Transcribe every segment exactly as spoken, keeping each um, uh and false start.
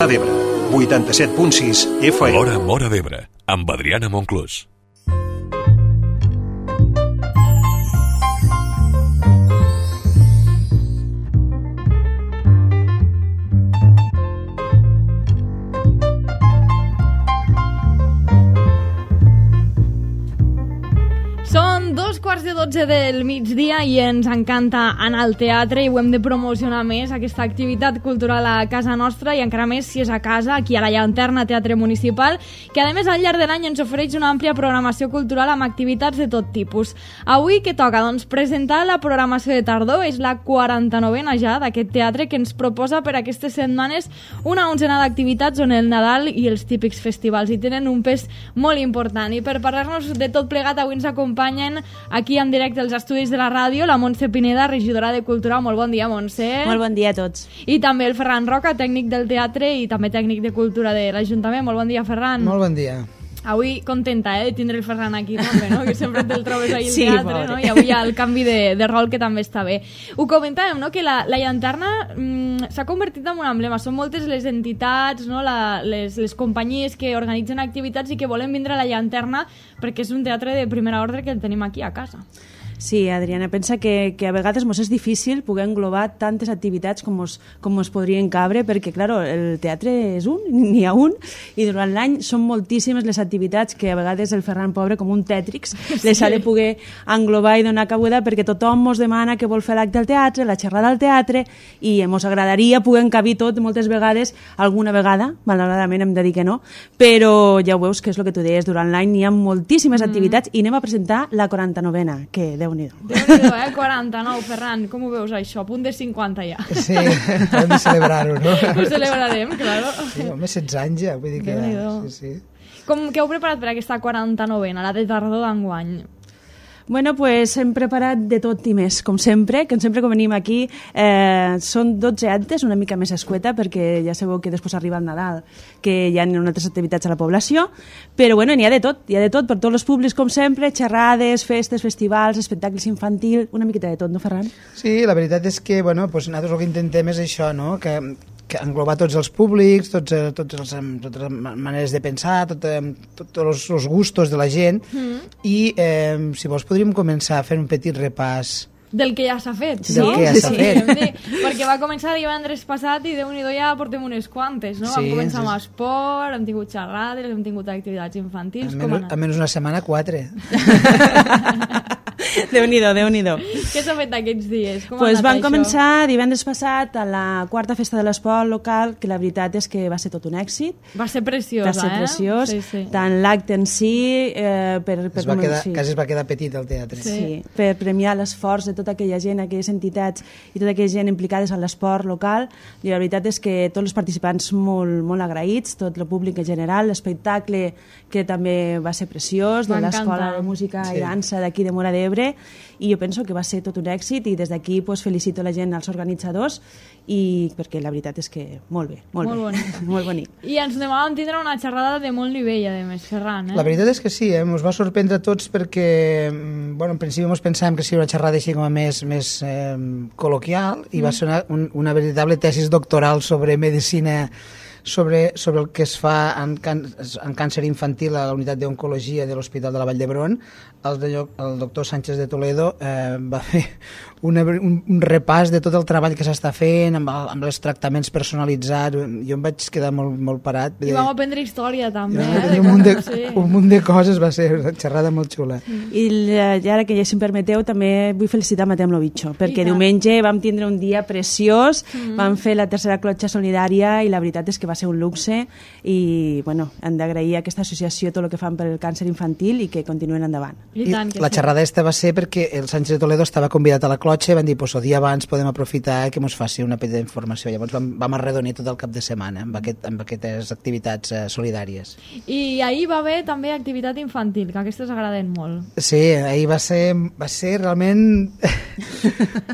d'Ebre, vuitanta-set punt sis F M. L'Hora Móra d'Ebre, amb Adriana Monclús. Són dos quarts de dotze del migdia i ens encanta anar al teatre i ho hem de promocionar més, aquesta activitat cultural a casa nostra, i encara més si és a casa, aquí a la Llanterna Teatre Municipal, que a més al llarg de l'any ens ofereix una àmplia programació cultural amb activitats de tot tipus. Avui què toca? Doncs presentar la programació de tardor, és la quaranta-novena ja d'aquest teatre que ens proposa per aquestes setmanes una onzena d'activitats on el Nadal i els típics festivals hi tenen un pes molt important. I per parlar-nos de tot plegat avui ens acompanya aquí en directe als estudis de la ràdio la Montse Pineda, regidora de Cultura. Molt bon dia, Montse. Molt bon dia a tots. I també el Ferran Roca, tècnic del teatre i també tècnic de Cultura de l'Ajuntament. Molt bon dia, Ferran. Molt bon dia. Avui contenta eh, de tindre el Ferran aquí també, no? Que sempre te'l trobes ahí al sí, teatre, no? I avui hi ha el canvi de, de rol que també està bé. Ho comentàvem, no? Que la, la Llanterna mm, s'ha convertit en un emblema. Són moltes les entitats, no? la, les, les companyies que organitzen activitats i que volen vindre a la Llanterna perquè és un teatre de primera ordre que el tenim aquí a casa. Sí, Adriana, pensa que, que a vegades mos és difícil poder englobar tantes activitats com es, com es podrien cabre, perquè, claro, el teatre és un, n'hi ha un, i durant l'any són moltíssimes les activitats que a vegades el Ferran, pobre, com un tètrix, sí. les ha de poder englobar i donar cabuda, perquè tothom mos demana que vol fer l'acte al teatre, la xerrada al teatre, i mos agradaria poder encabir tot moltes vegades, alguna vegada, malauradament hem de dir que no, però ja ho veus que és el que tu deies, durant l'any n'hi ha moltíssimes mm. activitats, i anem a presentar la quaranta-novena, que Déu-n'hi-do. Déu-n'hi-do, eh? quaranta-nou, Ferran, com ho veus això? A punt de cinquanta ja. Sí, hem de celebrar-ho, no? Ho celebrarem, claro. Sí, home, setze anys ja, vull dir que... Déu-n'hi-do. Sí, sí. Com que heu preparat per aquesta quaranta-novena, la de tardor d'enguany? Bueno, pues hem preparat de tot i més, com sempre, que sempre quan venim aquí eh, són dotze actes, una mica més escueta, perquè ja sabeu que després arriba el Nadal, que hi ha altres activitats a la població, però bueno, n'hi ha de tot, hi ha de tot per tots els públics, com sempre, xerrades, festes, festivals, espectacles infantils, una miqueta de tot, no, Ferran? Sí, la veritat és que, bueno, pues nosaltres el que intentem és això, no?, que que englobar tots els públics, tots, tots els, totes les maneres de pensar, tot, tots els, els gustos de la gent, mm. i eh, si vols podríem començar a fer un petit repàs del que ja s'ha fet, sí? Del que ja s'ha sí, fet. Sí, perquè va començar divendres passat i Déu-n'hi-do ja portem unes quantes, no? Sí, vam començar sí. amb esport, hem tingut xerrades, hem tingut activitats infantils. Almenys, almenys una setmana, quatre. Déu-n'hi-do, Déu-n'hi-do. Què s'ha fet aquests dies? Com pues van això? començar divendres passat a la quarta festa de l'esport local, que la veritat és que va ser tot un èxit. Va ser preciosa, va ser preciós, eh? Sí, sí. Tant l'acte en si... Eh, per, per es va quedar, sí. Quasi es va quedar petit el teatre. Sí, sí, per premiar l'esforç de tota aquella gent, aquelles entitats i tota aquella gent implicades en l'esport local, i la veritat és que tots els participants molt, molt agraïts, tot el públic en general, l'espectacle que també va ser preciós, de l'Escola de Música sí. i Dansa d'aquí de Móra d'Ebre, i jo penso que va ser tot un èxit, i des d'aquí pues, felicito la gent, als organitzadors, i perquè la veritat és que molt bé, molt, molt bé, bonic. molt bonic. I ens demàvem tindre una xerrada de molt nivell, a més, Ferran. Eh? La veritat és que sí, eh? Ens va sorprendre a tots perquè, bueno, en principi ens pensàvem que seria una xerrada així com a més, més eh, col·loquial, i mm. va ser una, un, una veritable tesis doctoral sobre medicina, sobre, sobre el que es fa en, can, en càncer infantil a la unitat d'oncologia de l'Hospital de la Vall d'Hebron. El, de, el doctor Sánchez de Toledo eh, va fer una, un, un repàs de tot el treball que s'està fent amb, el, amb els tractaments personalitzats. Jo em vaig quedar molt, molt parat. I vam aprendre història també. I eh, un, munt de, sí. un munt de coses, va ser una xerrada molt xula. I ara que ja si em permeteu també vull felicitar Matem Lovitxo, perquè diumenge vam tindre un dia preciós, mm. vam fer la tercera clotxa solidària i la veritat és que va ser un luxe, i bueno, hem d'agrair a aquesta associació tot el que fan per el càncer infantil i que continuen endavant. I tant, I la xerrada esta va ser perquè el Sánchez de Toledo estava convidat a la clotxa i van dir, pues, el dia abans podem aprofitar que ens faci una petita informació. Llavors vam, vam arredonir tot el cap de setmana amb, aquest, amb aquestes activitats eh, solidàries. I ahir va haver també activitat infantil, que aquestes agraden molt. Sí, ahir va ser, va ser realment...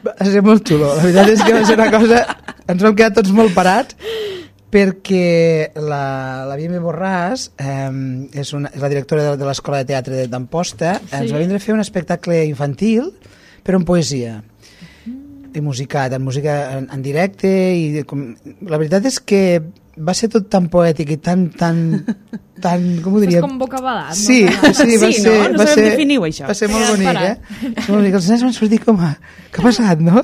va ser molt xulo. La veritat és que va ser una cosa... Ens vam quedar tots molt parats, perquè la, la Vime Borràs eh, és, una, és la directora de, de l'Escola de Teatre d'Amposta, sí. ens va vindre a fer un espectacle infantil però en poesia mm. i musicat, en música en, en directe, i com, la veritat és que va ser tot tan poètic i tan, tan, tan com ho diria? És com bocabadat, no? Sí, sí, va Sí, ser... no? No va sabem ser, definir-ho, això. Va ser molt Queda bonic, esperat. eh? Molt bonic. Els nens van sortir com a... Què ha passat, no?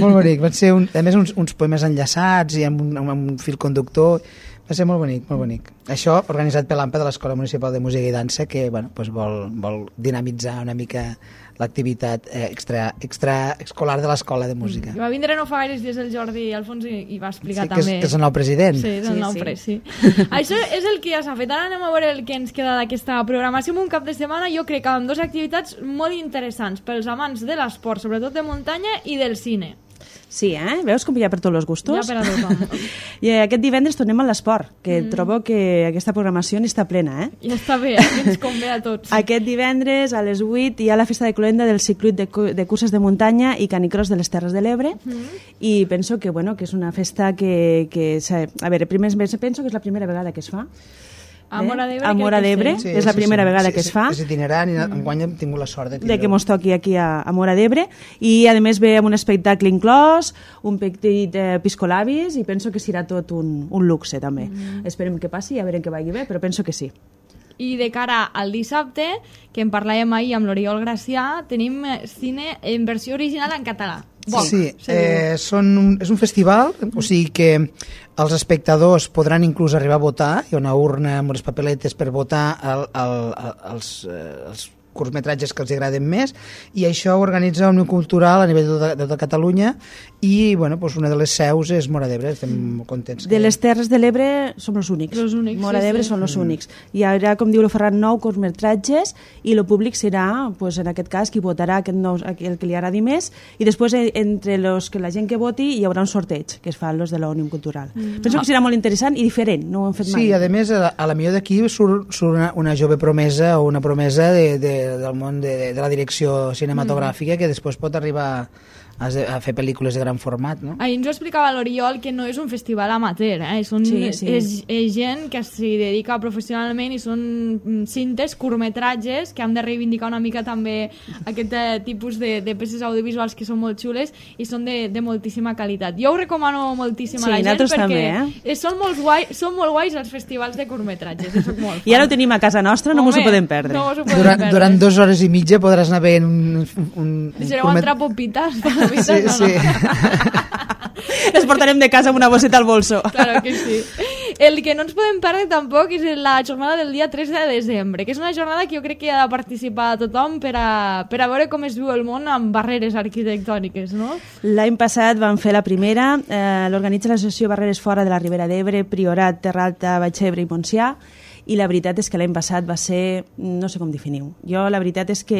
Molt bonic. Van ser, un, a més, uns, uns poemes enllaçats i amb un, amb un fil conductor. Va ser molt bonic, molt bonic. Això organitzat per l'A M P A de l'Escola Municipal de Música i Dansa, que bueno, doncs vol, vol dinamitzar una mica l'activitat eh, extra, extra escolar de l'Escola de Música. I va vindre no fa gaires dies el Jordi Alfons i, i va explicar Sí, que és, també. que és el nou president. Sí, és el Sí, nou sí. pres, sí. Això és el que ja s'ha fet. Ara anem a veure el que ens queda d'aquesta programació. En un cap de setmana jo crec que amb dues activitats molt interessants pels amants de l'esport, sobretot de muntanya, i del cine. Sí, eh? Veus com hi ha per tots els gustos? Ja per a tothom. I aquest divendres tornem a l'esport, que Mm. trobo que aquesta programació n'està plena, eh? Ja està bé, eh? Que ens convé a tots. Aquest divendres a les vuit hi ha la festa de cloenda del circuit de, cu- de curses de muntanya i canicross de les Terres de l'Ebre i penso que, bueno, que és una festa que... que s'ha- a veure, primer penso que és la primera vegada que es fa. A Móra d'Ebre A Móra crec que d'Ebre, sí. és la primera vegada que es fa. És itinerant i enguany hem tingut la sort de De tindre-ho. que mos toqui aquí a, a Móra d'Ebre i a més ve amb un espectacle inclòs, un petit eh, piscolabis i penso que serà tot un, un luxe també. Mm. Esperem que passi i a veure que vagi bé, però penso que sí. I de cara al dissabte, que en parlàvem ahir amb l'Oriol Gracià, tenim eh, cine en versió original en català. Bon, Sí, se diu. eh, són un, és un festival, o sigui que els espectadors podran inclús arribar a votar, hi ha una urna amb les papeletes per votar el, el, el, els, eh, els curtmetratges que els agraden més, i això ho organitza Òmnium Cultural a nivell de, de, de Catalunya, i bueno, doncs una de les seus és Móra d'Ebre, estem molt contents. De les Terres de l'Ebre som els únics. Els únics, Móra sí, d'Ebre sí. són els únics. Hi haurà, com diu el Ferran, nou curtmetratges i el públic serà, pues, en aquest cas, qui votarà aquest nou, el que li agradi més i després eh, entre los que la gent que voti hi haurà un sorteig que es fa los de l'Òmnium Cultural. Mm. Penso que serà molt interessant i diferent, no ho hem fet mai. Sí, a més, a, a la millor d'aquí surt, surt una, una jove promesa o una promesa de, de, del món de, de la direcció cinematogràfica mm. que després pot arribar a, a fer pel·lícules de gran format, no? Ahir ens ho explicava l'Oriol que no és un festival amateur, eh? Són, Sí, sí. És, és gent que s'hi dedica professionalment i són mm, cintes, curtmetratges que han de reivindicar una mica també aquest eh, tipus de, de peces audiovisuals que són molt xules i són de, de moltíssima qualitat. Jo ho recomano moltíssim Sí, a la gent nosaltres perquè també, eh? són, molt guai, són molt guais els festivals de curtmetratges, jo soc molt fan. I ara ho tenim a casa nostra, no Home, mos ho podem perdre. No mos ho podem Durant, perdre. durant dues hores i mitja podràs anar veient un... un, un Deixareu curtmet- entrar popites, palomites, Sí, no, sí. no. Les portarem de casa amb una bosseta al bolso. Claro que sí. El que no ens podem perdre tampoc és la jornada del dia tres de desembre, que és una jornada que jo crec que ha de participar tothom per a, per a veure com es viu el món amb barreres arquitectòniques, no? L'any passat vam fer la primera, eh, l'organitza l'associació Barreres Fora de la Ribera d'Ebre, Priorat, Terra Alta, Baixebre i Montsià, i la veritat és que l'any passat va ser, no sé com definir-ho. Jo la veritat és que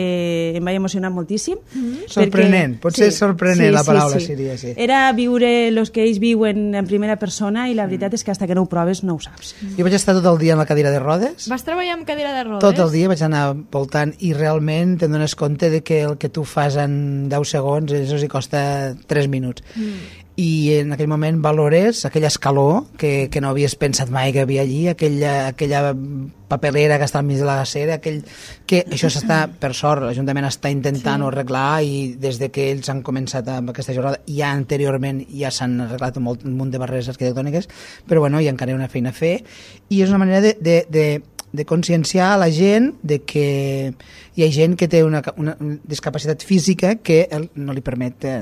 em vaig emocionar moltíssim. Mm-hmm. Sorprenent, potser sorprenent la paraula seria, sí. Era viure els que ells viuen en primera persona i la veritat és que hasta que no ho proves no ho saps. Jo vaig estar tot el dia en la cadira de rodes, Vas treballar amb cadira de rodes? tot el dia vaig anar voltant i realment te'n dones compte de que el que tu fas en deu segons això s'hi costa tres minuts. Mm. I en aquell moment valores aquell escaló que, que no havies pensat mai que havia allí, aquella, aquella papelera que està al mig de la gacera, aquell, que això s'està, per sort, l'Ajuntament està intentant sí. arreglar i des de que ells han començat amb aquesta jornada, ja anteriorment ja s'han arreglat un, molt, un munt de barreres arquitectòniques, però bueno, hi ha encara una feina a fer i és una manera de, de, de de conscienciar a la gent de que hi ha gent que té una, una discapacitat física que el, no li permet eh,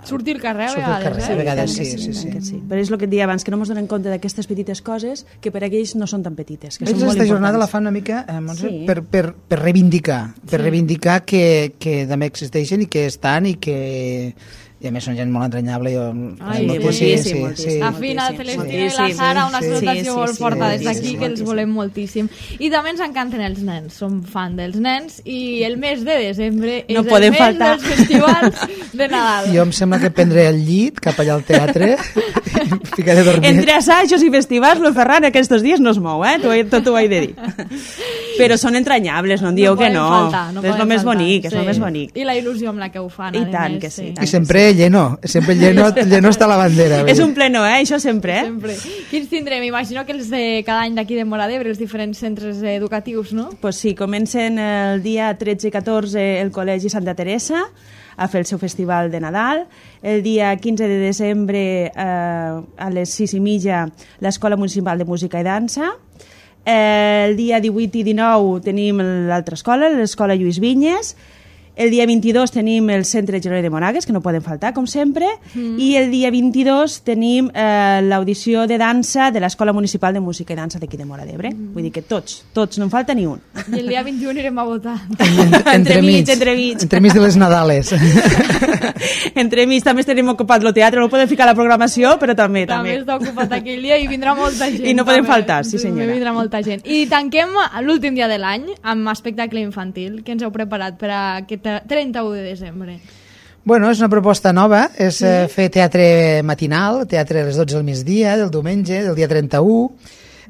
sortir al carrer a sortir al vegades, carrer, eh? a vegades Sí, sí, sí, sí. sí, sí. Però és el que et deia abans, que no ens donem compte d'aquestes petites coses que per a aquells no són tan petites, que Ells són molt aquesta jornada la importants. fan una mica eh, Montse, Sí. per, per, per reivindicar per reivindicar que, que també existeixen i que estan i que i a més són gent molt entranyable jo, Ai, molt- moltíssim, moltíssim. La Fina, moltíssim, Celestina i la moltíssim. Sara, una Sí, salutació sí, molt sí, forta des moltíssim, d'aquí, que els moltíssim. volem moltíssim. I també ens encanten els nens, som fan dels nens, i el mes de desembre és No el podem mes faltar. dels festivals de Nadal. jo em sembla que prendré el llit cap allà al teatre i em ficaré a dormir Entre assajos i festivals, el Ferran aquests dies no es mou, eh? Tot, tot ho he de dir. Però són entranyables, no em dieu que poden no. faltar, no és poden el més faltar, bonic, és sí. el més bonic. I la il·lusió amb la que ho fan, I a tant més, que sí, i i tant. sempre lleno sempre lleno, lleno està la bandera És un pleno, eh? Això sempre, eh? Sempre. Quins tindrem? Imagino que els de cada any d'aquí de Móra d'Ebre, els diferents centres educatius, no? Pues sí, comencen el dia tretze i catorze el Col·legi Santa Teresa, a fer el seu festival de Nadal. El dia quinze de desembre eh, a les sis i mitja l'Escola Municipal de Música i Dansa. Eh, el dia divuit i dinou tenim l'altra escola, l'Escola Lluís Vinyes. El dia vint-i-dos tenim el Centre Jeroni de Moragues, que no poden faltar, com sempre, mm. i el dia vint-i-dos tenim eh, l'audició de dansa de l'Escola Municipal de Música i Dansa d'aquí de Móra d'Ebre. Mm. Vull dir que tots, tots, no en falta ni un. I el dia vint-i-u anirem a votar. Entre, entre mig, entre mig. Entre mig de les Nadales. Entre mig també tenim ocupat el teatre, no podem ficar la programació, però també. També, també. està ocupat aquell dia i vindrà molta gent. I no podem també. faltar, sí senyora. Vindrà molta gent. I tanquem l'últim dia de l'any amb espectacle infantil. Què ens heu preparat per a aquest trenta-u de desembre? Bueno, és una proposta nova, és sí. eh, fer teatre matinal, teatre a les dotze del migdia, del diumenge, del dia trenta-u,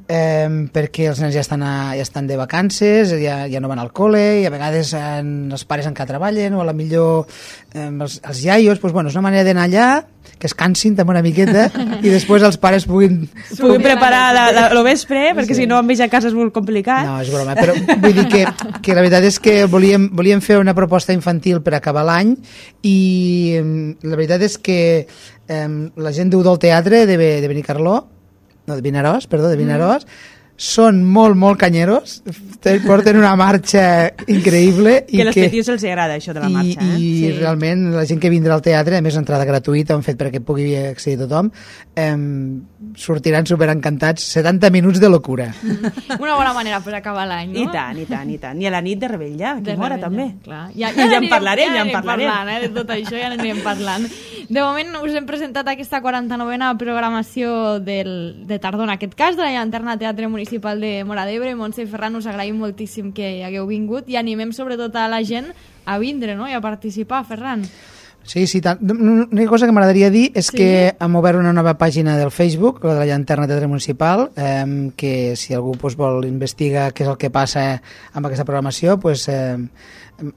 eh, perquè els nens ja estan, a, ja estan de vacances, ja, ja no van al col·le, i a vegades eh, els pares encara treballen, o a la millor eh, els, els iaios, doncs, bueno, és una manera d'anar allà, que es cansin també una miqueta i després els pares puguin... Puguin preparar la, la, lo vespre, perquè sí. si no amb ells a casa és molt complicat. No, és broma, però vull dir que, que la veritat és que volíem, volíem fer una proposta infantil per acabar l'any i la veritat és que eh, la gent d'U del Teatre de, de Benicarló, no, de Vinaròs, perdó, de Vinaròs, mm. són molt, molt canyeros, porten una marxa increïble. Que a les petius els agrada això de la marxa. I, eh? i sí. realment la gent que vindrà al teatre, a més entrada gratuïta, han fet perquè pugui accedir tothom, eh, sortiran superencantats, setanta minuts de locura. Mm. Una bona manera per acabar l'any, no? I tant, i tant, i tant. I a la nit de Rebella, que mora també. Clar. Ja, ja, ja en parlarem, ja, ja en parlarem. Parlant, eh? De tot això ja n'anirem parlant. De moment us hem presentat aquesta quaranta-novena programació del, de tardor, en aquest cas, de la Llanterna Teatre Municipal de Móra d'Ebre. Montse i Ferran, us agraïm moltíssim que hagueu vingut i animem sobretot a la gent a vindre, no?, i a participar, Ferran. Sí, sí, tant. Una cosa que m'agradaria dir és sí. que hem obert una nova pàgina del Facebook, la de la Llanterna Teatre Municipal, eh, que si algú pues, vol investigar què és el que passa amb aquesta programació, pues, eh,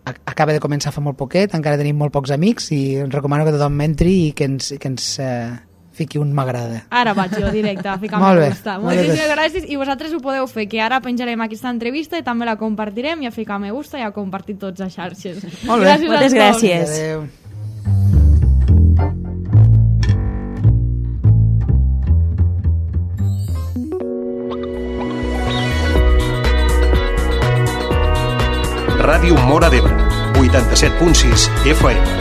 acaba de començar fa molt poquet, encara tenim molt pocs amics i recomano que tothom entri i que ens, que ens eh, fiqui un m'agrada. Ara vaig jo directe a ficar me gusta. Moltíssimes gràcies i vosaltres ho podeu fer, que ara penjarem aquesta entrevista i també la compartirem i a ficar me gusta i a compartir tots a xarxes. Molt bé. Gràcies. Moltes gràcies. Adéu. Ràdio Móra d'Ebre, vuitanta-set punt sis F M.